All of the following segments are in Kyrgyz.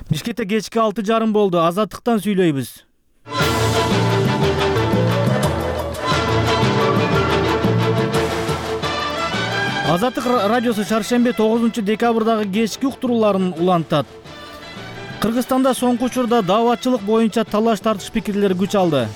Бишкекте кечки 6:30 болду. Азаттыктан сүйлөйбүз. Азаттык радиосу шаршемби 9 декабрдагы кечки уктурууларын улантат. Кыргызстанда соңку учурда дааватчылык боюнча талаш тартыш пикирлер күч алды.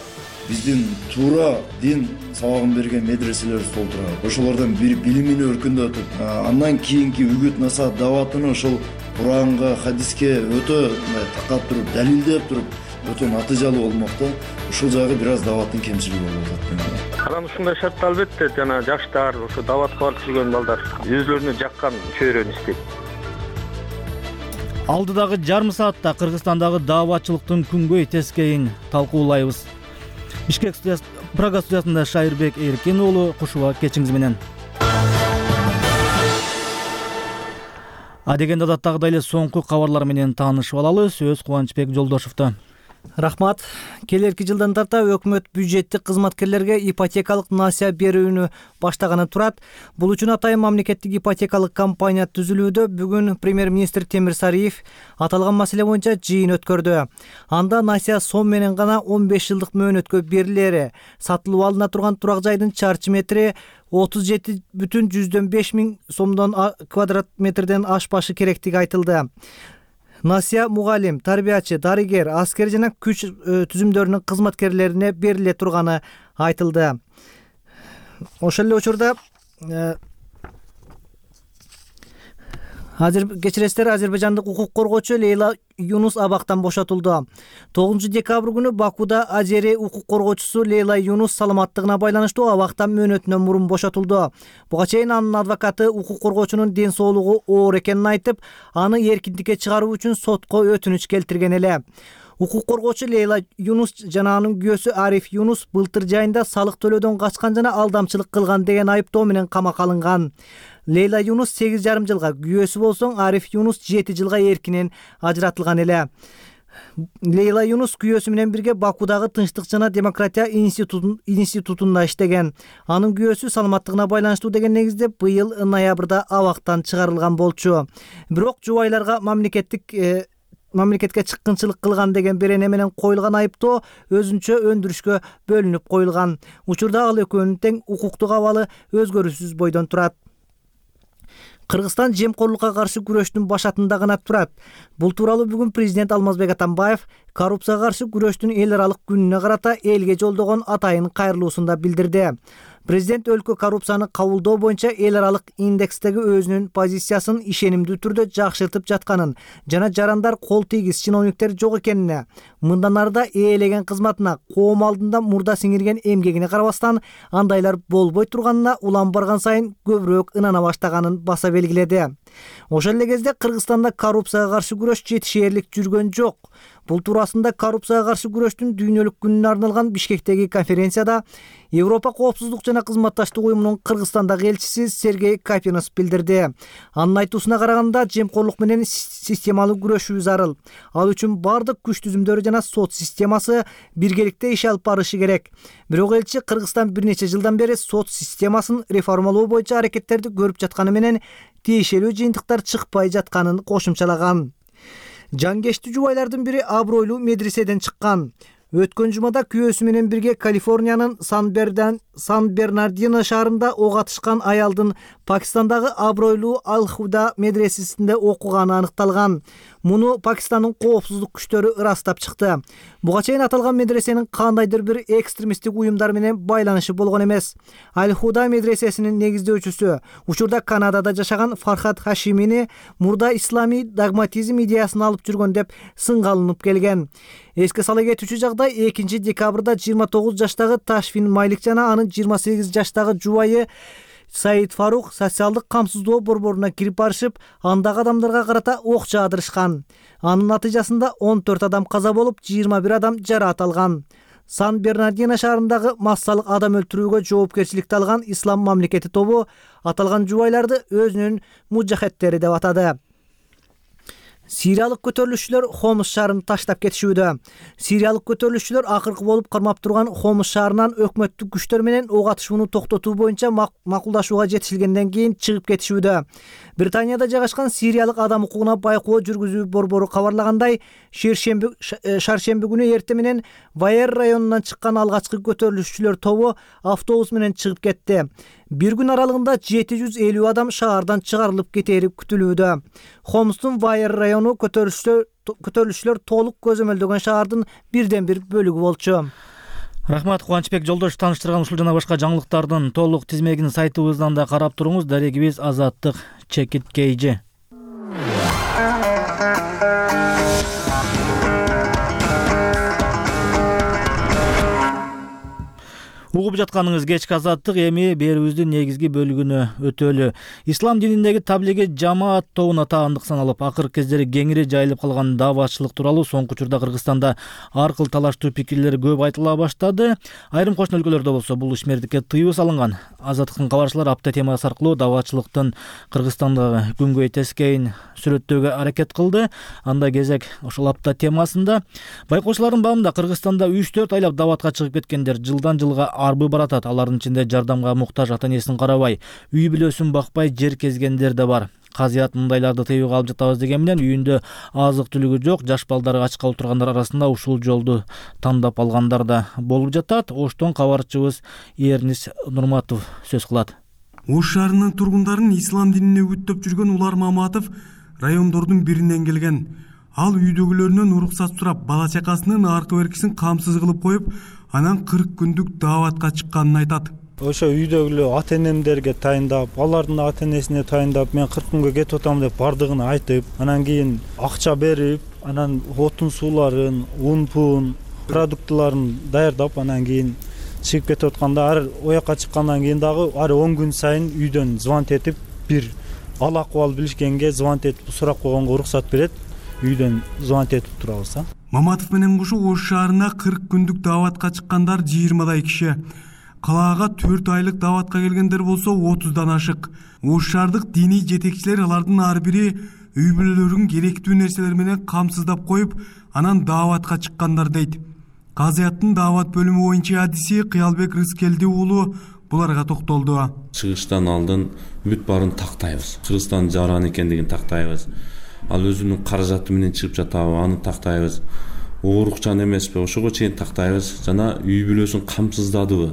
Биздин туура дин сабагын берген медреселер сол турат. Ошолордон бири билимини өркүндөтүп, андан кийинки үгүт насаат дааватыны ошол Куранга, хадиске өтө такап туруп, далилдеп туруп, өтө натыйжалуу болмок да. Ушул жагы бир аз дааваттын кемчилиги болуп атат. Анан ушундай шартта албетте жана жаштар, ошо дааватка барып жүргөн балдар өзлөрүнө жаккан чөйрөнү istейт. Алдыдагы жарым саатта Кыргызстандагы дааватчылыктын күнгөй тескейин талкуулайбыз. Бишкек Прага студиясында Шайырбек Эркен уулу, кушуба кечиңиз менен. Адегенде адаттагыдай эле соңку кабарлар менен таанышып алалы. Сөз Кубанычбек Жолдошовдо. Рахмат. Келерки жылдан тарта өкмөт бюджеттик кызматкерлерге ипотекалык насыя берүүнү баштаганы турат. Бул үчүн атайын мамлекеттик ипотекалык компания түзүлүүдө. Бүгүн премьер-министр Темир Сариев аталган маселе боюнча жыйын өткөрдү. Анда насыя сом менен гана 15 жылдык мөөнөткө берилери, сатылып алына турган турак жайдын чарчы метри 37,5 миң сомдон квадрат метрден ашпашы керектиги айтылды. Насыя мугалим, тарбиячы, дарыгер, аскер жана күч түзүмдөрүнүн кызматкерлерине бериле турганы айтылды. Ошол эле учурда кечиресиздер, азербайжандык укук коргоочу Лейла Юнус абактан бошотулду. 9 декабрь күнү Бакуда Азери укук коргоочусу Лейла Юнус саламаттыгына байланыштуу абактан мөөнөтүнөн мурун бошотулду. Буга чейин анын адвокаты укук коргоочунун ден соолугу оор экенин айтып, аны эркиндикке чыгаруу үчүн сотко өтүнүч келтирген эле. Укук коргоочу Лейла Юнус жана анын күйөөсү Ариф Юнус былтыр жайында салык төлөөдөн качкан жана алдамчылык кылган деген айыптоо менен камакка алынган. Лейла Юнус 8,5 жылга, күйөөсү болсоң Ариф Юнус 7 жылга эркинен ажыратылган эле. Лейла Юнус күйөөсү менен бирге Бакудагы Тынчтык жана демократия институтунда иштеген. Анын күйөөсү саламаттыгына байланыштуу деген негизде быйыл ноябрда абактан чыгарылган болчу. Бирок жубайларга мамлекетке чыккынчылык кылган деген берене менен коюлган айыптоо өзүнчө өндүрүшкө бөлүнүп коюлган. Учурда ал экөөнүн тең укуктук абалы өзгөрүүсүз бойдон турат. Кыргызстан жемкорлукка каршы күрөштүн башатында гана турат. Бул тууралуу бүгүн президент Алмазбек Атамбаев коррупцияга каршы күрөштүн эл аралык күнүнө карата элге жолдогон атайын кайрылуусунда билдирди. Президент өлкө коррупцияны кабылдоо боюнча эл аралык индекстеги өзүнүн позициясын ишенимдүү түрдө жакшыртып жатканын жана жарандар кол тийгиз чиновниктер жок экенине, мындан арыда ээлеген кызматына, коом алдында мурда сиңирген эмгегине карабастан андайлар болбой турганына улам барган сайын көбүрөөк ынана баштаганын баса белгиледи. Ошол эле кезде Кыргызстанда коррупцияга каршы күрөш жетишээрлик жүргөн жок. Бул туурасында коррупцияга каршы күрөштүн дүйнөлүк күнүнө арналган Бишкектеги конференцияда Европа коопсуздук жана кызматташтык уюмунун Кыргызстандагы элчиси Сергей Капинос билдирди. Анын айтуусуна караганда, жемкорлук менен системалуу күрөшүү зарыл. Ал үчүн бардык күч түзүмдөрү жана сот системасы биргеликте иш алып барышы керек. Бирок элчи Кыргызстан бир нече жылдан бери сот системасын реформалоо боюнча аракеттерди көрүп жатканы менен тиешелүү жыйынтыктар чыкпай жатканын кошумчалаган. Жангештүү жубайлардын бири абройлуу медреседен чыккан. Өткөн жумада күйөөсү менен бирге Калифорниянын Сан-Бернардино шаарында ок атышкан аялдын Пакистандагы абройлуу Ал-Худа медресесинде окуганы аныкталган. Муну Пакистандын коопсуздук күчтөрү ырастап чыкты. Буга чейин аталган медресенин кандайдыр бир экстремисттик уюмдар менен байланышы болгон эмес. Ал-Худа медресесинин негиздөөчүсү, учурда Канадада жашаган Фархат Хашимини мурда исламий догматизм идеясын алып жүргөн деп сынга алынып келген. Эске сала кетүүчү жагдай 2 декабрда 29 жаштагы Ташфин Майлик жана анын 28 жаштагы жубайы Саид Фарух социалдык камсыздоо борборуна кирип барышып, андагы адамдарга карата ок жаадырышкан. Анын натыйжасында 14 адам каза болуп, 21 адам жараат алган. Сан-Бернардино шаарындагы массалык адам өлтүрүүгө жоопкерчиликти алган Ислам мамлекети тобу аталган жубайларды өзүнүн мужахеттери деп атады. Сириялык көтөрүлүшчүлөр Хомс шаарын таштап кетишүүдө. Сириялык көтөрүлүшчүлөр акыркы болуп кармап турган Хомс шаарынан өкмөттүк күчтөр менен ок атышууну токтотуу боюнча макулдашууга жетишилгенден кийин чыгып кетишүүдө. Британияда жайгашкан Сириялык адам укугуна байкоо жүргүзүү борбору кабарлагандай, шаршемби күнү эртең менен Вайер районунан чыккан алгачкы көтөрүлүшчүлөр тобу автобус менен чыгып кетти. Бир күн аралыгында 750 адам шаардан чыгарылып кетери күтүлүүдө. Хомстун Вайер району көтөрүлүшчүлөр толук көзөмөлдөгөн шаардын бирден бир бөлүгү болчу. Рахмат Кубанычбек Жолдош, тааныштырган ушул жана башка жаңылыктардын толук тизмегин сайтыбыздан да карап туруңуз. Дарегибиз Азаттык Чекиткейжи. Угуп жатканыңыз кечки Азаттык, эми берүүбүздүн негизги бөлүгүнө өтөлү. Ислам дининдеги таблиги жамаат тобуна таандык саналып, акыркы кездери кеңири жайылып калган дааватчылык тууралуу соңку учурда Кыргызстанда ар кыл талаштуу пикирлер көп айтыла баштады. Айрым кошуна өлкөлөрдө болсо бул ишмердикке тыюу салынган. Азаттыктын кабарчылары апта темасы аркылуу дааватчылыктын Кыргызстандагы күнгөй тескейин сүрөттөөгө аракет кылды. Анда кезек ошол апта темасында. Байкоочулардын баамында Кыргызстанда 3-4 айлап дааватка чыгып кеткендер жылдан жылга арбы баратат. Алардын ичинде жардамга муктаж ата-энесин карабай, үй бүлөсүн бакпай жер кезгендер да бар. Казыят мындайларды тыюуга алып жатабыз деген менен үйүндө азык-түлүгү жок жаш балдары ачка отургандар арасында ушул жолду тандап алгандар да болуп жатат. Оштон кабарчыбыз Эрнис Нурматов сөз кылат. Ош шаарынын тургундарын ислам динине үгүттөп жүргөн Улар Маматов райондордун биринен келген. Ал үйдөгүлөрүнөн уруксат сурап, бала чакасынын аркы беркисин камсыз кылып коюп, анан 40 күндүк дааватка чыкканын айтат. Ошо үйдөгүлөр ата-энемдерге тайындап, алардын ата-энесине тайындап, мен 40 күнгө кетип атам деп бардыгын айтып, анан кийин акча берип, анан отун сууларын, ун-пун, продуктыларын даярдап, анан кийин чыгып кетип атканда, ар оякка чыккандан кийин дагы ар 10 күн сайын үйдөн звонт этип, бир ал акыбал билишкенге звонт этип сурап койгонго уруксат берет. Үйдөн звонт этип турабыз. Маматов менен кошо Ош шаарына 40 күндүк дааватка чыккандар 20дай киши. Калаага 4 айлык дааватка келгендер болсо 30дан ашык. Ош шаардык диний жетекчилер алардын ар бири үй бүлөлөрүн керектүү нерселер менен камсыздап коюп, анан дааватка чыккандар дейт. Казыяттын даават бөлүмү боюнча адиси Кыялбек Рыскелди уулу буларга токтолду. Чыгыштан алдын бүт баарын тактайбыз. Кыргызстан жаран экендигин тактайбыз. Ал өзүнүн каражаты менен чыгып жатабы, аны тактайбыз. Оорукчан эмеспи, ошого чейин тактайбыз. Жана үй бүлөсүн камсыздадыбы,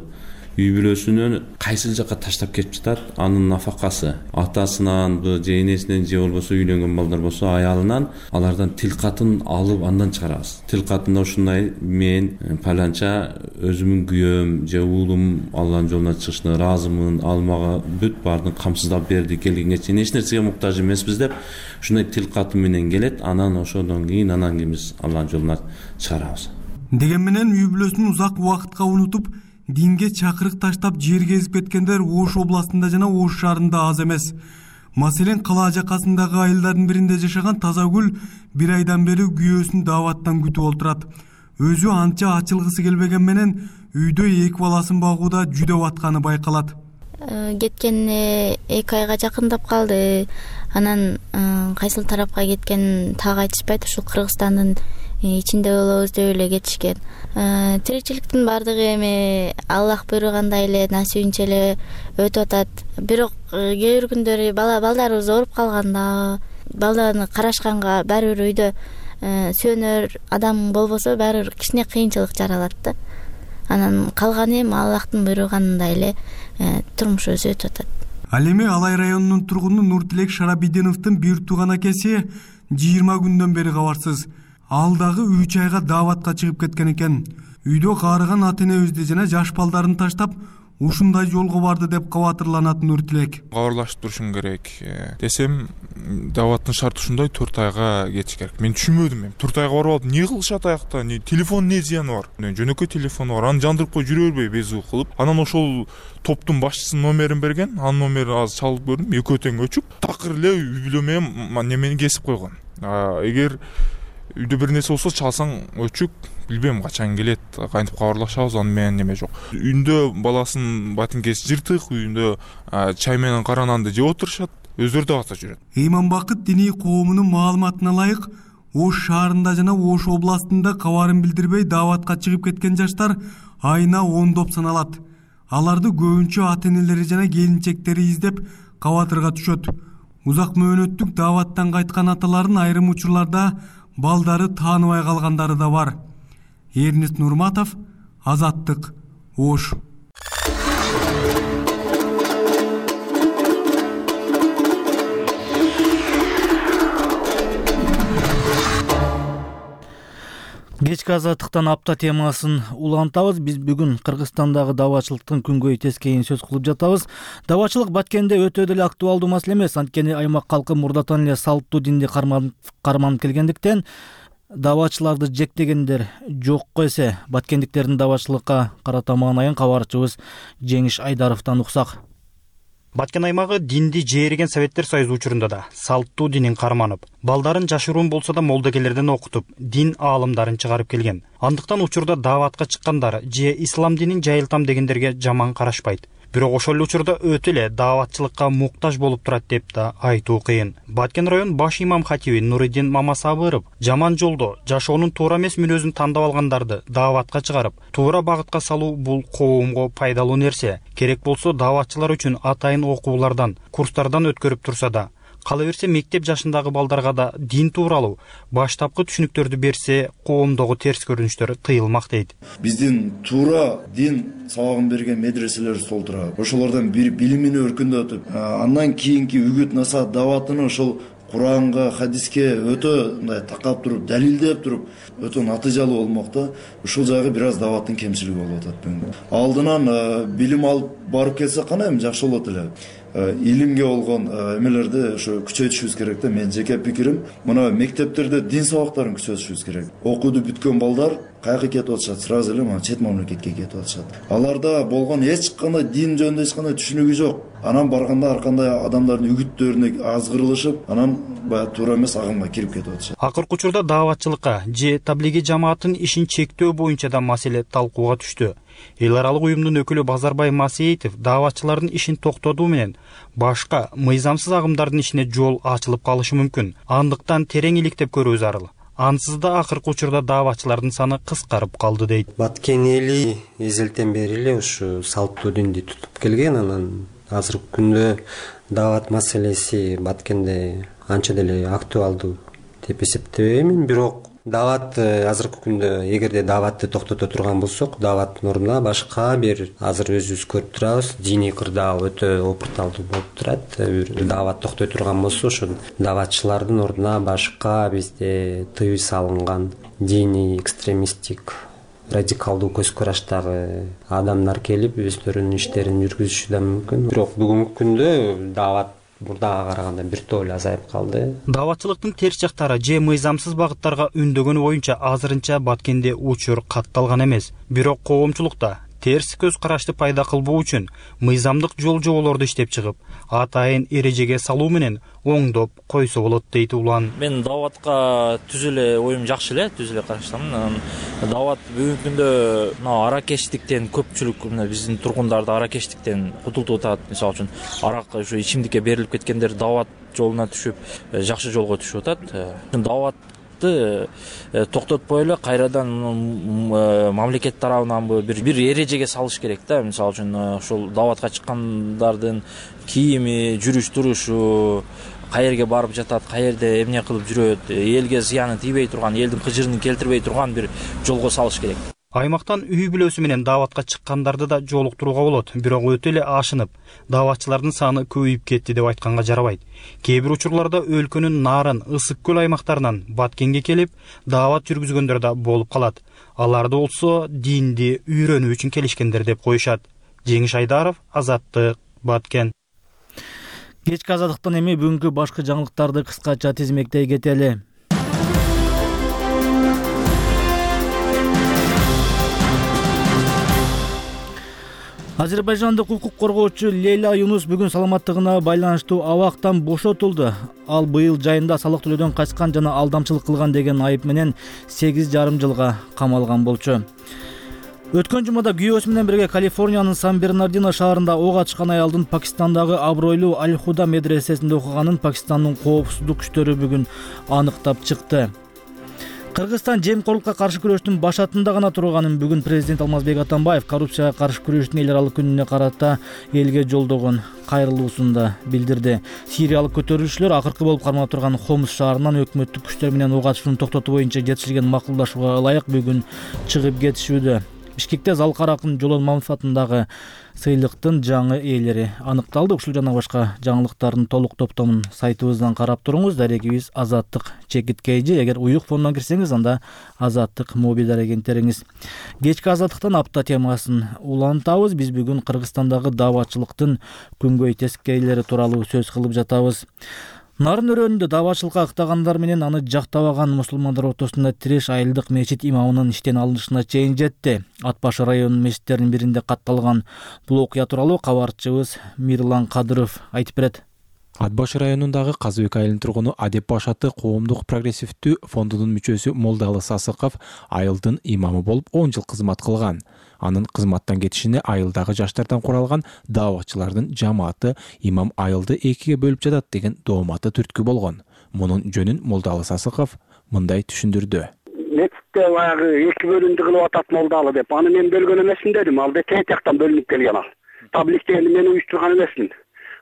үй бүлөсүнөн кайсыл жакка таштап кетип жатат, анын нафакасы атасынан же энесинен же болбосо үйлөнгөн балдар болсо аялынан, алардан тил катын алып андан чыгарабыз. Тил катында ушундай: мен паланча өзүмүн күйөөм же уулум Алланын жолуна чыгышына ыраазымын, ал мага бүт баардын камсыздап берди, келгенге чейин эч нерсеге муктаж эмеспиз деп ушундай тил каты менен келет. Анан ошодон кийин биз Алланын жолуна чыгарабыз. Деген менен үй бүлөсүн узак убакытка унутуп, динге чакырык таштап жер кезип кеткендер Ош областында жана Ош шаарында аз эмес. Маселен, кала жакасындагы айылдардын биринде жашаган Тазагүл 1 айдан бери күйөөсүн дааваттан күтүп отурат. Өзү анча ачылгысы келбеген менен үйдө 2 баласын багууда жүдөп атканы байкалат. Кеткенине 2 айга жакындап калды. Анан кайсыл тарапка кеткенин так айтышпайт. Ушул Кыргызстандын ичинде болобуз деп эле кетишкен. Тиричиликтин баардыгы эми Аллах буйругандай эле насибинче эле өтүп атат. Бирок кээ бир күндөрү балдарыбыз ооруп калганда, балданы карашканга баары бир үйдө сүйөнөр адам болбосо баары бир кичине кыйынчылык жаралат да. Анан калганы эми Аллахтын буйругандай эле турмуш өзү өтүп атат. Ал эми Алай районунун тургуну Нуртилек Шарабидиновдун бир тууган акеси 20 күндөн бери кабарсыз. Ал дагы 3 айга дааватка чыгып кеткен экен. Үйдө каарыган ата-энебизди жана жаш балдарын таштап ушундай жолго барды деп кабатырланат Нуртилек. Кабарлашып турушуң керек десем, дааваттын шарты ушундай 4 айга кетиш керек. Мен түшүнбөдүм. 4 айга барып алып эмне кылышат аякта? Телефон эмне зыяны бар? Жөнөкөй телефону бар. Аны жандырып коюп жүрө бербей безүү кылып. Анан ошол топтун башчысынын номерин берген. Анын номерин азыр чалып көрдүм. Экөө тең өчүп, такыр эле үй бүлө менен немени кесип койгон. Эгер үйдө бир нерсе болсо чалсаң өчүк, билбейм качан келет, кантип кабарлашабыз, аны менен неме жок. Үйүндө баласынын батинкеси жыртык, үйүндө чай менен кара нанды жеп отурушат. өздөрү даватта жүрөт. Эйманбакыт диний коомунун маалыматына ылайык, Ош шаарында жана Ош областында кабарын билдирбей даватка чыгып кеткен жаштар айына 10 саналат. Аларды көбүнчө ата-энелери жана келинчектери издеп кабатырга түшөт. Узак мөөнөттүк даваттан кайткан аталардын айрым учурларда балдары тааныбай калгандары да бар. Эрнест Нурматов, Азаттык, Ош. Кечки азаттыктан апта темасын улантабыз. Биз бүгүн Кыргызстандагы давачылыктын күнгөй тескейин сөз кылып жатабыз. Давачылык Баткенде өтө деле актуалдуу маселе эмес, анткени аймак калкы мурдатан эле салттуу динди карманып келгендиктен давачыларды жектегендер жокко эсе. Баткендиктердин давачылыкка карата маанайын кабарчыбыз Жеңиш Айдаровдон уксак. Баткен аймагы динди жээреген Советтер Союзу учурунда да салттуу динин карманып, балдарын жашыруун болсо да молдокелерден окутуп, дин аалымдарын чыгарып келген. Андыктан учурда даватка чыккандар же ислам динин жайылтам дегендерге жаман карашпайт. Бирок ошол эле учурда өтө эле даватчылыкка муктаж болуп турат деп да айтуу кыйын. Баткен район баш имам хатиби Нуриддин Мамасабыров жаман жолдо жашоонун туура эмес мүнөзүн тандап алгандарды даватка чыгарып, туура багытка салуу бул коомго пайдалуу нерсе. Керек болсо даватчылар үчүн атайын окуулардан, курстардан өткөрүп турса да, кала берсе мектеп жашындагы балдарга да дин тууралуу баштапкы түшүнүктөрдү берсе, коомдогу терс көрүнүштөр тыйылмак дейт. Биздин туура дин сабагын берген медреселер стол турат. Ошолордон бир билимини өркүндөтүп, андан кийинки үгүт насаат даватыны ошол Куранга, хадиске өтө мындай такап туруп, далилдеп туруп, өтө натыйжалуу болмок да. Ушул жагы бир аз даваттын кемчилиги болуп атат бүгүн. Алдынан билим алып барып келсе кана эми жакшы болот эле. Илимге болгон эмелерди ошо күчөтүшүбүз керек да. Менин жеке пикирим, мына мектептерде дин сабактарын күчөтүшүбүз керек. Окууду бүткөн балдар кайга кетип атышат? Сразу эле мына чет мамлекетке кетип атышат. Аларда болгон эч кандай дин жөнүндө эч кандай түшүнүгү жок. Анан барганда ар кандай адамдардын үгүттөрүнө азгырылышып, анан баягы туура эмес агымга кирип кетип атышат. Акыркы учурда даватчылыкка же таблиги жамааттын ишин чектөө боюнча да маселе талкууга түштү. Эл аралык уюмдун өкүлү Базарбай Масеитов даватчылардын ишин токтотуу менен башка мыйзамсыз агымдардын ишине жол ачылып калышы мүмкүн. Андыктан терең иликтеп көрүү зарыл. Ансыз да акыркы учурда даватчылардын саны кыскарып калды дейт. Баткен эли эзелтен бери эле ушу салттуу динди тутуп келген. Анан азыркы күндө дават маселеси Баткенде анча деле актуалдуу деп эсептебеймин. Бирок дават азыркы күндө эгерде даватты токтото турган болсок, даваттын ордуна башка бир азыр өзүбүз көрүп турабыз, диний кырдаал өтө опурталдуу болуп турат. Дават токтой турган болсо, ошо даватчылардын ордуна башка бизде тыюу салынган диний экстремисттик радикалдуу көз караштагы адамдар келип өздөрүнүн иштерин жүргүзүшү да мүмкүн. Бирок бүгүнкү күндө дават мурдага караганда бир топ эле азайып калды. Даватчылыктын терс жактары же мыйзамсыз багыттарга үндөгөнү боюнча азырынча Баткенде учур катталган эмес. Бирок коомчулукта терс көз карашты пайда кылбоо үчүн мыйзамдык жол жоболорду иштеп чыгып, атайын эрежеге салуу менен оңдоп койсо болот дейт улан. Мен даватка түз эле оюм жакшы эле, түз эле караштамын. Дават бүгүнкү күндө аракечтиктен көпчүлүк биздин тургундарды аракечтиктен кутултуп атат. Мисалы үчүн арак ушу ичимдикке берилип кеткендер дават жолуна түшүп, жакшы жолго түшүп атат. Даватты токтотпой эле кайрадан мамлекет тарабынан бир эрежеге салыш керек да. Мисалы үчүн ошол даватка чыккандардын кийими, жүрүш турушу, каерге барып жатат, каерде эмне кылып жүрөт, элге зыяны тийбей турган, элдин кыжырын келтирбей турган бир жолго салыш керек. Аймактан үй бүлөсү менен даватка чыккандарды да жолуктурууга болот. Бирок өтө эле ашынып, даватчылардын саны көбөйүп кетти деп айтканга жарабайт. Кээ бир учурларда өлкөнүн Нарын, Ысык көл аймактарынан Баткенге келип, дават жүргүзгөндөр да болуп калат. Аларды болсо динди үйрөнүү үчүн келишкендер деп коюшат. Жеңиш Айдаров, Азаттык, Баткен. Кечки азаттыктан эми бүгүнкү башкы жаңылыктарды кыскача тизмектей кетели. Азербайжандык укук коргоочу Лейла Юнус бүгүн саламаттыгына байланыштуу абактан бошотулду. Ал быйыл жайында салык төлөөдөн качкан жана алдамчылык кылган деген айып менен 8,5 жылга камалган болчу. Өткөн жумада күйөөсү менен бирге Калифорниянын Сан-Бернардино шаарында ок ачкан аялдын Пакистандагы абройлуу Аль-Худа медресесинде окуганын Пакистандын коопсуздук күчтөрү бүгүн аныктап чыкты. Кыргызстан жемкорлукка каршы күрөштүн башатында гана турганын бүгүн президент Алмазбек Атамбаев коррупцияга каршы күрөштүн эл аралык күнүнө карата элге жолдогон кайрылуусунда билдирди. Сириялык көтөрүлүшчүлөр акыркы болуп кармалып турган Хомс шаарынан өкмөттүк күчтөр менен ок ачуусун токтотуу боюнча жетишилген макулдашууга ылайык бүгүн чыгып кетишүүдө. Бишкекте Залкар акын Жолон Мамедов атындагы сыйлыктын жаңы ээлери аныкталды. Ушул жана башка жаңылыктардын толук топтомун сайтыбыздан карап туруңуз. Дарегибиз Азаттык ЧКТ. Эгер уюк фондон кирсеңиз, анда Азаттык мобилдар агенттериңиз. Кечки Азаттыктан апта темасын улантабыз. Биз бүгүн Кыргызстандагы дааватчылыктын күнгөй тескейлери тууралуу сөз кылып жатабыз. Нарын өрөөнүндө дааватчылыкка ыктагандар менен аны жактабаган мусулмандар ортосунда тиреш айылдык мечит имамынын иштен алынышына чейин жетти. Ат башы районунун мечиттеринин биринде катталган бул окуя тууралуу кабарчыбыз Мирлан Кадыров айтып берет. Ат башы районундагы Казыбек айылынын тургуну Адеп Башаты коомдук прогрессивдүү фондунун мүчөсү Молдалы Сасыков айылдын имамы болуп 10 жыл кызмат кылган. Анын кызматтан кетишине айылдагы жаштардан куралган дааватчылардын жамааты имам айылды экиге бөлүп жатат деген дооматы түрткү болгон. Мунун жөнүн Молдалы Сасыков мындай түшүндүрдү. Мектепте баягы эки бөлүндү кылып атат Молдалы деп. Аны мен бөлгөн эмесмин дедим. Ал тет жактан бөлүнүп келген ал. Таблик дегенди мен уюштурган эмесмин.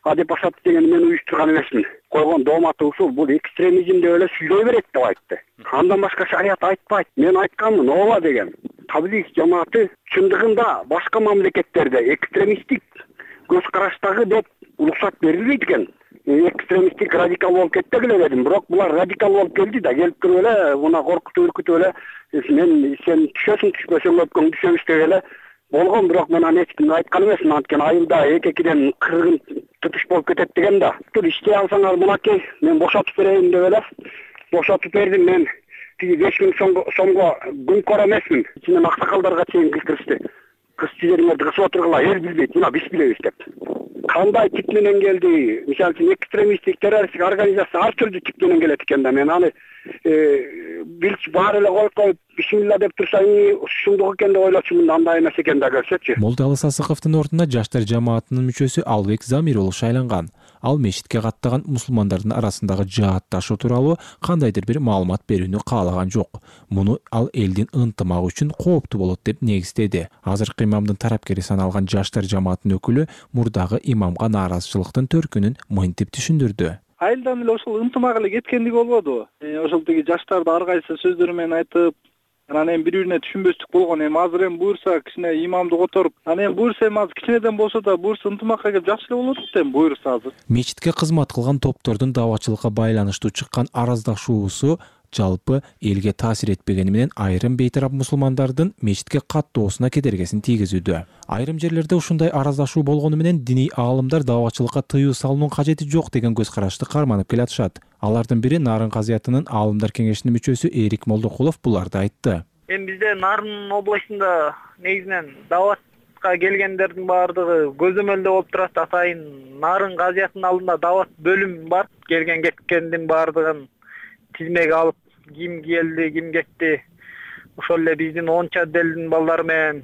Адеп Башаты дегенди мен уюштурган эмесмин. Койгон дооматы ушул, бул экстремизм деп эле сүйлөй берет деп айтты. Андан башка шарият айтпайт. Мен айтканмын, ооба деген. Таблик жамааты чындыгында башка мамлекеттерде экстремисттик көз караштагы деп уруксат берилбейт экен. Экстремисттик радикал болуп кетти эле дедим. Бирок булар радикал болуп келди да, келип туруп эле мына коркутуп үркүтүп эле мен сен түшөсүң түшпөсөң өпкөң түшөбүз деп эле болгон. Бирок мен аны эч кимге айткан эмесмин. Анткени айылда эки-экиден кыргын тутуш болуп кетет деген да. Иштей алсаңар мынакей мен бошотуп берейин деп эле бошотуп бердим. Мен 5000 сомго күнкөр эмесмин. Ичинен аксакалдарга чейин киришти. Кыз чижериңерди кысып отургула, эл билбейт, мына биз билебиз деп. Кандай тип менен келди? Мисалы үчүн экстремисттик террористтик организация ар түрдүү тип менен келет экен да. Мен аны билч баары эле коюп бисмилла деп турсаң, ушундук экен деп ойлочумун. Андай эмес экен да, көрсөтчү. Молдалы Сасыковдун ордуна жаштар жамаатынын мүчөсү Албек Замир болуп шайланган. Ал мечитке каттаган мусулмандардын арасындагы жаатташуу тууралуу кандайдыр бир маалымат берүүнү каалаган жок. Муну ал элдин ынтымагы үчүн кооптуу болот деп негиздеди. Азыркы имамдын тарапкери саналган жаштар жамаатынын өкүлү мурдагы имамга нааразычылыктын төркүнүн мынтип түшүндүрдү. Айылдан эле ошол ынтымак эле кеткендик болбодубу? Ошол тиги жаштарды ар кайсы сөздөр менен айтып, анан эми бири-бирине түшүнбөстүк болгон. Эми азыр эми буюрса кичине имамды которуп, анан эми буюрса эми азыр кичинеден болсо да буюрса ынтымакка келип жакшы эле болот да эми буюрса азыр. Мечитке кызмат кылган топтордун дааватчылыкка байланыштуу чыккан араздашуусу жалпы элге таасир этпегени менен айрым бейтарап мусулмандардын мечитке каттоосуна кедергесин тийгизүүдө. Айрым жерлерде ушундай араздашуу болгону менен диний аалымдар дааватчылыкка тыюу салуунун кажети жок деген көз карашты карманып келатышат. Алардын бири Нарын казыятынын аалымдар кеңешинин мүчөсү Эрик Молдокулов буларды айтты. Эми бизде Нарын областында негизинен дааватка келгендердин баардыгы көзөмөлдө болуп турат. Атайын Нарын казыятынын алдында даават бөлүм бар. Келген кеткендин баардыгын тизмеге алып, ким келди, ким кетти. Ошол эле биздин 10 отделдин балдары менен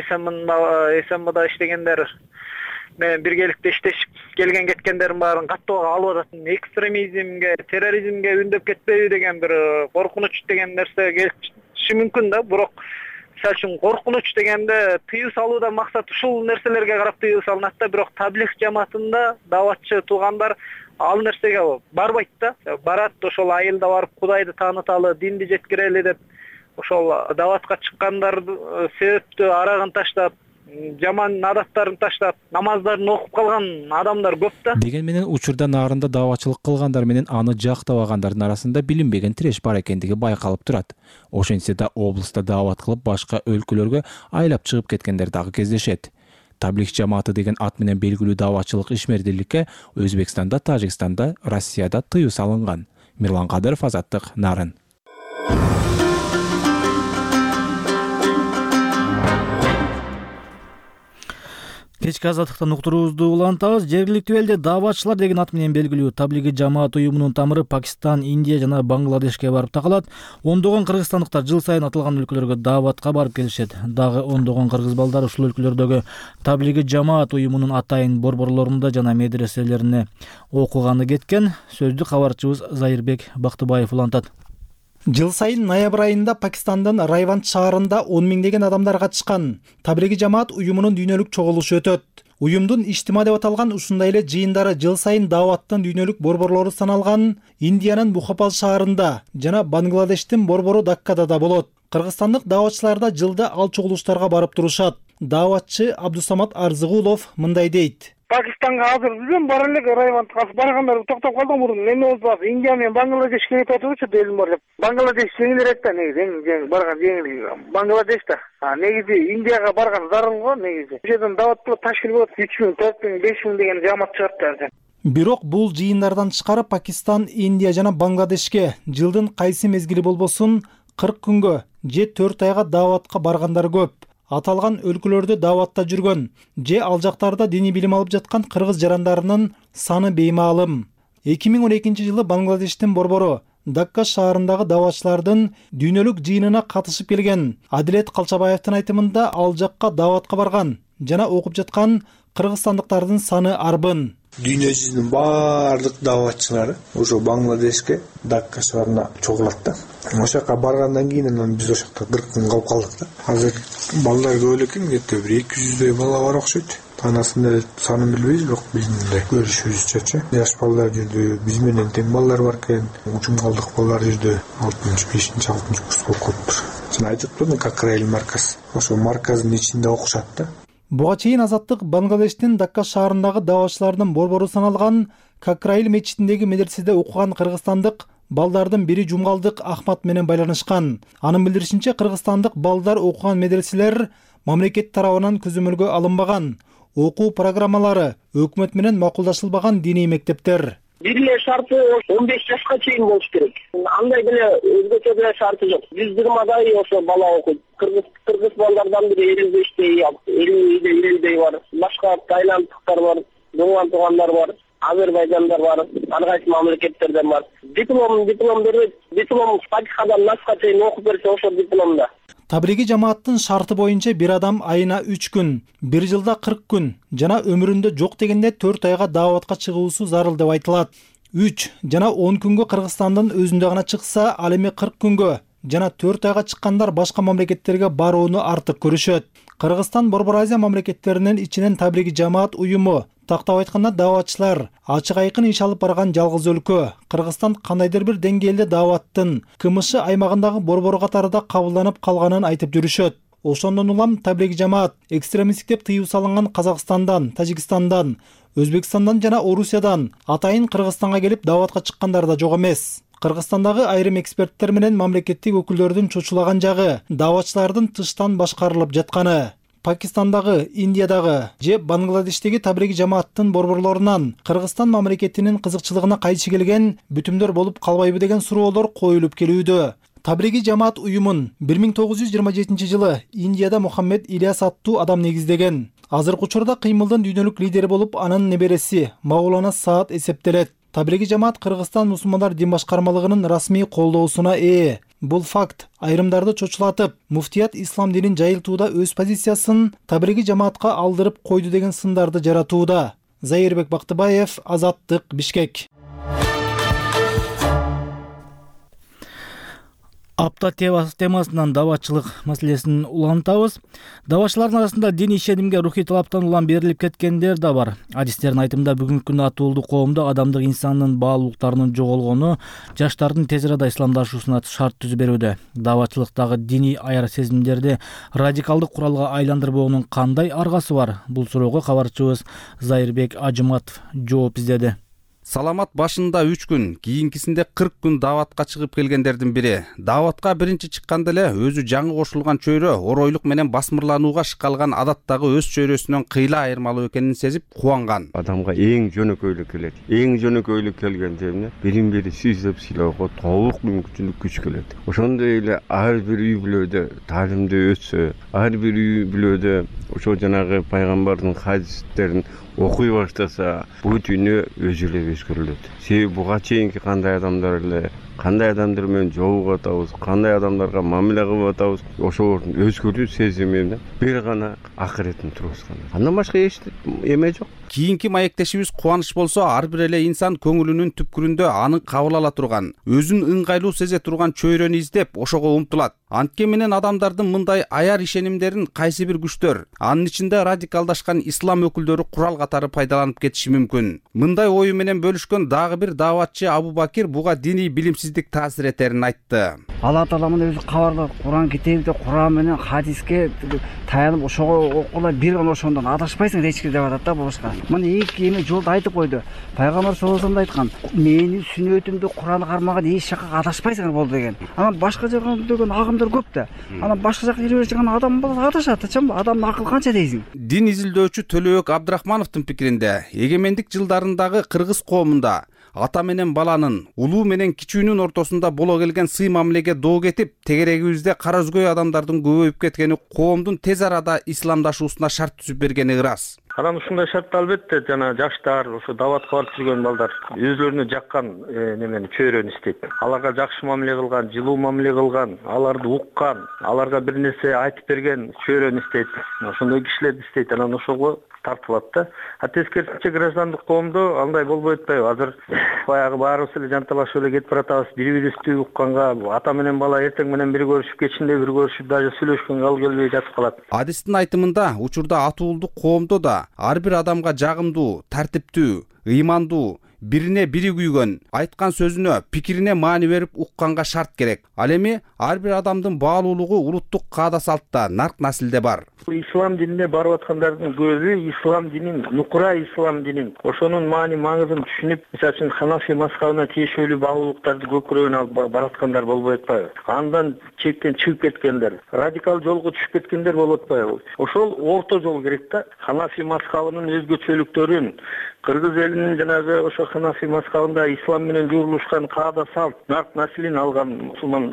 СМда иштегендер менен биргеликте иштешип келген кеткендердин баарын каттоого алып атат. Экстремизмге, терроризмге үндөп кетпейби деген бир коркунуч деген нерсе келиши мүмкүн да. Бирок мисалы үчүн коркунуч дегенде тыюу салуудан максат ушул нерселерге карап тыюу салынат да. Бирок таблих жамаатында дааватчы туугандар ал нерсеге барбайт да. Барат ошол айылда барып Кудайды тааныталы, динди жеткирели деп ошол дааватка чыккандарды себептүү арагын таштап, жаман адаттарын таштап, намаздарын окуп калган адамдар көп да. Деген менен учурда Нарында дааватчылык кылгандар менен аны жактабагандардын арасында билинбеген тиреш бар экендиги байкалып турат. Ошентсе да облуста даават кылып башка өлкөлөргө айлап чыгып кеткендер дагы кездешет. Таблих жамааты деген ат менен белгилүү дааватчылык ишмердүүлүккө Өзбекстанда, Тажикстанда, Россияда тыюу салынган. Мирлан Кадыров, Азаттык, Нарын. Кечки азаттыктан уктуруубузду улантабыз. Жергиликтүү элде дааватчылар деген ат менен белгилүү таблиги жамаат уюмунун тамыры Пакистан, Индия жана Бангладешке барып такалат. Ондогон кыргызстандыктар жыл сайын аталган өлкөлөргө дааватка барып келишет. Дагы ондогон кыргыз балдары ушул өлкөлөрдөгү таблиги жамаат уюмунун атайын борборлорунда жана медреселерине окуганы кеткен. Сөздү кабарчыбыз Зайырбек Бактыбаев улантат. Жыл сайын ноябрь айында Пакистандын Райванд шаарында 10 миңдеген адамдар катышкан таблиги жамаат уюмунун дүйнөлүк чогулушу өтөт. Уюмдун иштима деп аталган ушундай эле жыйындары жыл сайын дааваттын дүйнөлүк борборлору саналган Индиянын Бухопал шаарында жана Бангладештин борбору Даккада да болот. Кыргызстандык дааватчылар да жылда ал чогулуштарга барып турушат. Дааватчы Абдусамат Арзыгулов мындай дейт. Пакистанга азыр өзүм бара элек Райвандга баргандар токтоп калдым мурун. Эми болсо Индия менен Бангладеш келип атышчу делим бар деп. Бангладеш жеңилирээк да негизи, барган жеңил. Бангладеш да. Негизи Индияга барган зарыл го негизи. Бу жерден дават кылып ташкил болот 3000, 4000, 5000 деген жамаат чыгат. Бирок бул жыйындардан тышкары Пакистан, Индия жана Бангладешке жылдын кайсы мезгили болбосун 40 күнгө же 4 айга дааватка баргандар көп. Аталган өлкөлөрдө дааватта жүргөн же ал жактарда диний билим алып жаткан кыргыз жарандарынын саны беймаалым. 2012 жылы Бангладештин борбору Дакка шаарындагы дааватчылардын дүйнөлүк жыйынына катышып келген Адилет Калчабаевдин айтымында ал жакка дааватка барган жана окуп жаткан кыргызстандыктардын саны арбын. Дүйнө жүзүнүн баардык дааватчылары ошо Бангладешке Дакка шаарына чогулат да. Ошо жака баргандан кийин анан биз ошо жакта 40 күн калып калдык да. Азыр балдар көп экен, кетти бир 200дөй бала бар окшойт. Танасында санын билбейбиз, бирок биздин мындай көрүшүбүзчө жаш балдар жүрдү, биз менен тең балдар бар экен, учумгалдык балдар жүрдү. 6-5-6 курс болуп калыптыр. Сен айтыптыр, Какраил марказ. Ошо марказдын ичинде окушат да. Буга чейин Азаттык Бангладештин Дакка шаарындагы дааватчылардын борбору саналган Какраил мечитиндеги медреседе окуган кыргызстандык балдардын бири Жумгалдык Ахмат менен байланышкан. Анын билдиришинче, кыргызстандык балдар окуган медреселер мамлекет тарабынан көзөмөлгө алынбаган, окуу программалары өкмөт менен макулдашылбаган диний мектептер. Бир эле шарты 15 жашка чейин болуш керек. Андай деле өзгөчө деле шарты жок. 120дай ошо бала окуйт. Кыргыз балдардан бири 55дей, 50дей бар. Башка тайландтыктар бар, доңган туугандар бар, Азербайжандар бар, ар кайсы мамлекеттерден бар. Диплом берет. Диплом Фатихадан Насқа чейин окуп берсе ошо дипломда. Таблиги жамааттын шарты боюнча бир адам айына 3 күн, бир жылда 40 күн жана өмүрүндө жок дегенде 4 айга дааватка чыгуусу зарыл деп айтылат. 3 жана 10 күнгө Кыргызстандын өзүндө гана чыкса, ал эми 40 күнгө жана 4 айга чыккандар башка мамлекеттерге барууну артык көрүшөт. Кыргызстан Борбор Азия мамлекеттеринин ичинен таблиги жамаат уюму, тактап айтканда дааватчылар, ачык айкын иш алып барган жалгыз өлкө. Кыргызстан кандайдыр бир деңгээлде дааваттын КМШ аймагындагы борбор катарында кабылданып калганын айтып жүрүшөт. Ошондон улам таблиги жамаат экстремисттик деп тыюу салынган Казакстандан, Тажикстандан, Өзбекстандан жана Орусиядан атайын Кыргызстанга келип дааватка чыккандар да жок эмес. Кыргызстандагы айрым эксперттер менен мамлекеттик өкүлдөрдүн чочулаган жагы дааватчылардын тыштан башкарылып жатканы. Пакистандагы, Индиядагы же Бангладештеги таблиги жамааттын борборлорунан Кыргызстан мамлекетинин кызыкчылыгына кайчы келген бүтүмдөр болуп калбайбы деген суроолор коюлуп келүүдө. Таблиги жамаат уюмун 1927 жылы Индияда Мухаммед Ильяс аттуу адам негиздеген. Азыркы учурда кыймылдын дүйнөлүк лидери болуп анын небереси Маулана Саад эсептелет. Таблиги жамаат Кыргызстан мусулмандар дин башкармалыгынын расмий колдоосуна ээ. Бул факт айрымдарды чочулатып, муфтият ислам динин жайылтууда өз позициясын таблиги жамаатка алдырып койду деген сындарды жаратууда. Зайырбек Бактыбаев, Азаттык, Бишкек. Апта темасынан дааватчылык маселесин улантабыз. Дааватчылардын арасында дин ишенимге рухий талаптан улам берилип кеткендер да бар. Адистердин айтымында бүгүнкү күндө атуулуу коомдо адамдык инсандын баалуулуктарынын жоголгону жаштардын тез арада исламдашуусуна шарт түзүп берүүдө. Дааватчылыктагы диний аяр сезимдерди радикалдык куралга айландырбоонун кандай аргасы бар? Бул суроого кабарчыбыз Зайырбек Ажыматов жооп издеди. Саламат башында 3 күн, кийинкисинде 40 күн дааватка чыгып келгендердин бири. Дааватка биринчи чыкканда эле өзү жаңы кошулган чөйрө оройлук менен басмырланууга шыккалган адаттагы өз чөйрөсүнөн кыйла айырмалуу экенин сезип кубанган. Адамга эң жөнөкөйлүк келет. Эң жөнөкөйлүк келгенде эмне? Бирин бири сүйүп сыйлоого толук мүмкүнчүлүк күч келет. Ошондой эле ар бир үй бүлөдө таалимде өтсө, ар бир үй бүлөдө ошо жанагы пайгамбардын хадистерин окуй баштаса, бүт үйүнө өзү эле өзгөрүлөт. Себеби буга чейинки кандай адамдар менен жолугуп атабыз, кандай адамдарга мамиле кылып атабыз, ошолордун өзгөрүү сезими бир гана акыретін тургузган. Андан башка эч эме жок. Кийинки маектешибиз Кубаныч болсо, ар бир эле инсан көңүлүнүн түпкүрүндө аны кабыл ала турган, өзүн ыңгайлуу сезе турган чөйрөнү издеп, ошого умтулат. Антке менен адамдардын мындай аяр ишенимдерин кайсы бир күчтөр, анын ичинде радикалдашкан ислам өкүлдөрү курал катары пайдаланып кетиши мүмкүн. Мындай ою менен бөлүшкөн дагы бир дааватчы Абу Бакир буга диний билимсиздик таасир этерин айтты. Алла Тааланын өзү кабарда Куран китебинде Куран менен хадиске таянып ошого окула бир гана ошондон адашпайсың эч ким деп атат да бошка. Мына эки эме жолду айтып койду. Пайгамбар саллаллаху алейхи вассалам айткан, менин сүннөтүмдү Куранды кармаган эч жакка адашпайсыңар болду деген. Анан башка жака деген агымдар көп да. Анан башка жака жүрө жаткан адам болсо адашат, адамдын акылы канча дейсиң? Дин изилдөөчү Төлөбек Абдрахмановдун пикиринде, эгемендик жылдарындагы кыргыз коомунда ата менен баланын, улуу менен кичүүнүн ортосунда боло келген сый мамилеге доо кетип, тегерегибизде кара өзгөй адамдардын көбөйүп кеткени коомдун тез арада исламдашуусуна шарт түзүп бергени ырас. Анан ушундай шартта албетте жана жаштар, ошо даватка барып жүргөн балдар өзлөрүнө жаккан немени чөйрөнү издейт. Аларга жакшы мамиле кылган, жылуу мамиле кылган, аларды уккан, аларга бир нерсе айтып берген чөйрөнү издейт. Ошондой кишилерди издейт. Анан ошого тартылат да. Тескерисинче граждандык коомдо андай болбой атпайбы? Азыр баягы баарыбыз эле жанталашып эле кетип баратабыз. Бири-бирибизди укканга, ата менен бала эртең менен бир көрүшүп, кечинде бир көрүшүп, даже сүйлөшкөнгө ал келбей жатып калат. Адистин айтымында, учурда атуулдук коомдо да ар бир адамга жагымдуу, тартиптүү, ыймандуу, бирине бири күйгөн, айткан сөзүнө, пикирине маани берип укканга шарт керек. Ал эми ар бир адамдын баалуулугу улуттук каада салтта, нарк насилде бар. Ислам динине барып аткандардын көбү ислам динин, нукура ислам динин, ошонун маани маңызын түшүнүп, мисалы үчүн Ханафи мазхабына тиешелүү баалуулуктарды көкүрөгүнө алып бараткандар болбой атпайбы? Андан чектен чыгып кеткендер, радикал жолго түшүп кеткендер болуп атпайбы? Ошол орто жол керек да. Ханафи мазхабынын өзгөчөлүктөрүн, кыргыз элинин жанагы ошо Ханафи мазхабында ислам менен журулушкан каада салт, нарк насилин алган мусулман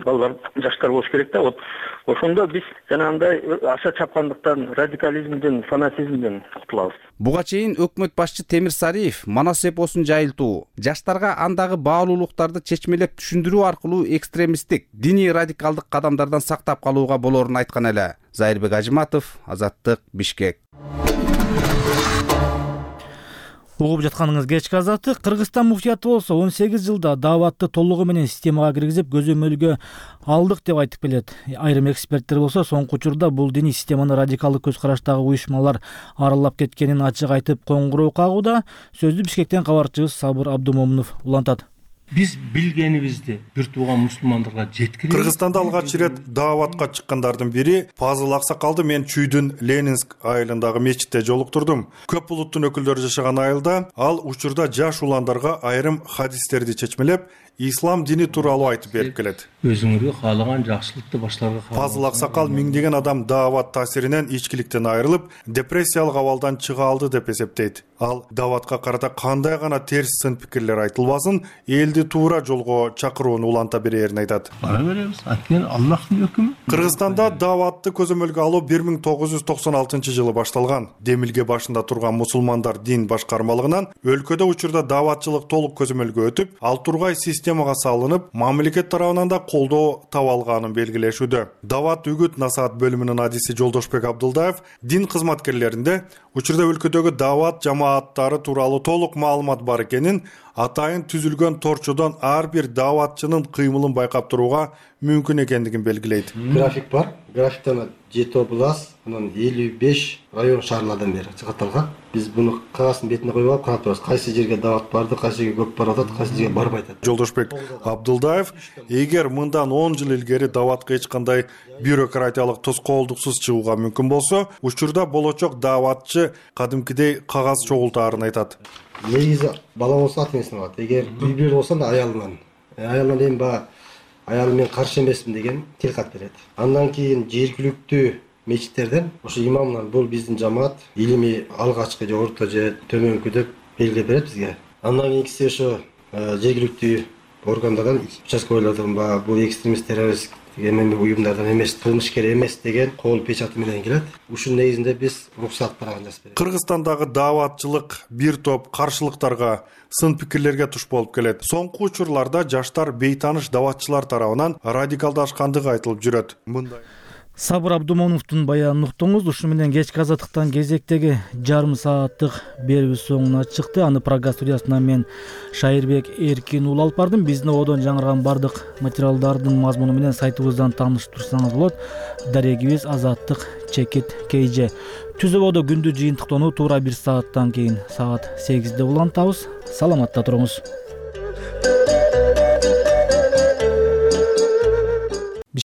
балдар, жаштар болуш керек да. Ошондо биз жанагындай аша чапкандыктан, радикализмден, фанатизмден кутулабыз. Буга чейин өкмөт башчы Темир Сариев манас эпосун жайылтуу, жаштарга андагы баалуулуктарды чечмелеп түшүндүрүү аркылуу экстремисттик, диний радикалдык кадамдардан сактап калууга болорун айткан эле. Зайырбек Ажыматов, Азаттык, Бишкек. Угуп жатканыңыз кечки азаттык. Кыргызстан муфтияты болсо 18 жылда дааватты толугу менен системага киргизип көзөмөлгө алдык деп айтып келет. Айрым эксперттер болсо соңку учурда бул диний системаны радикалдык көз караштагы уюшмалар аралап кеткенин ачык айтып коңгуроо кагууда. Сөздү Бишкектен кабарчыбыз Сабыр Абдумомунов улантат. Биз билгенибизди бир тууган мусулмандарга жеткиребиз. Кыргызстанда алгач ирет дааватка чыккандардын бири Пазыл Аксакалды мен Чүйдүн Ленинск айылындагы мечитте жолуктурдум. Көп улуттун өкүлдөрү жашаган айылда ал учурда жаш уландарга айрым хадистерди чечмелеп, ислам дини тууралуу айтып берип келет. Өзүңөргө каалаган жакшылыкты башларга Пазыл Аксакал миңдеген адам даават таасиринен ичкиликтен айрылып, депрессиялык абалдан чыга алды деп эсептейт. Ал дааватка карата кандай гана терс сын пикирлер айтылбасын, элди туура жолго чакырууну уланта берерин айтат. Бара беребиз, анткени Аллахтын өкүмү. Кыргызстанда дааватты көзөмөлгө алуу 1996-жылы башталган. Демилге башында турган мусулмандар дин башкармалыгынан өлкөдө учурда дааватчылык толук көзөмөлгө өтүп, ал тургай системага салынып, мамлекет тарабынан да колдоо таба алганын белгилешүүдө. Даават үгүт насаат бөлүмүнүн адиси Жолдошбек Абдылдаев дин кызматкерлеринде учурда өлкөдөгү даават жамааттары тууралуу толук маалымат бар экенин, атайын түзүлгөн торчодон ар бир дааватчынын кыймылын байкап турууга мүмкүн экендигин белгилейт. График бар. Графиктен 7 область, анан 55 район шаарлардан бери чыгатталган. Биз буну кагаздын бетине коюп алып карап турабыз. Кайсы жерге даават барды, кайсы жерге көп барып атат, кайсы жерге барбай атат. Жолдошбек Абдылдаев, эгер мындан 10 жыл илгери дааватка эч кандай бюрократиялык тоскоолдуксуз чыгууга мүмкүн болсо, учурда болочок дааватчы кадимкидей кагаз чогултаарын айтат. негизи бала болсо ата энесинен алат. Эгер үй бүлө болсо да аялынан эми баягы аялым мен каршы эмесмин деген тилкат берет. Андан кийин жергиликтүү мечиттерден ошо имамдан бул биздин жамаат илимий алгачкы же орто же төмөнкү деп белгилеп берет бизге. Андан кийинкиси ошо жергиликтүү органдардан участковыйлардан бул экстремист террорист эми уюмдардан эмес, кылмышкер эмес деген кол печаты менен келет. Ушунун негизинде биз уруксат барагын жазып беребиз. Кыргызстандагы дааватчылык бир топ каршылыктарга, сын пикирлерге туш болуп келет. Соңку учурларда жаштар бейтаныш дааватчылар тарабынан радикалдашкандыгы айтылып жүрөт. Сабыр Абдумоновдун баянын уктуңуз. Ушу менен кечки азаттыктан кезектеги жарым сааттык берүүбүз соңуна чыкты. Аны программа студиясынан мен Шайырбек Эркин уулу алып бардым. Биздин одон жаңырган бардык материалдардын мазмуну менен сайтыбыздан тааныштырсаңыз болот. Дарегибиз azattik.kj. Түзөбодо күндү жыйынтыктоону туура 1 сааттан кийин саат 8-де улантабыз. Саламатта туруңуз.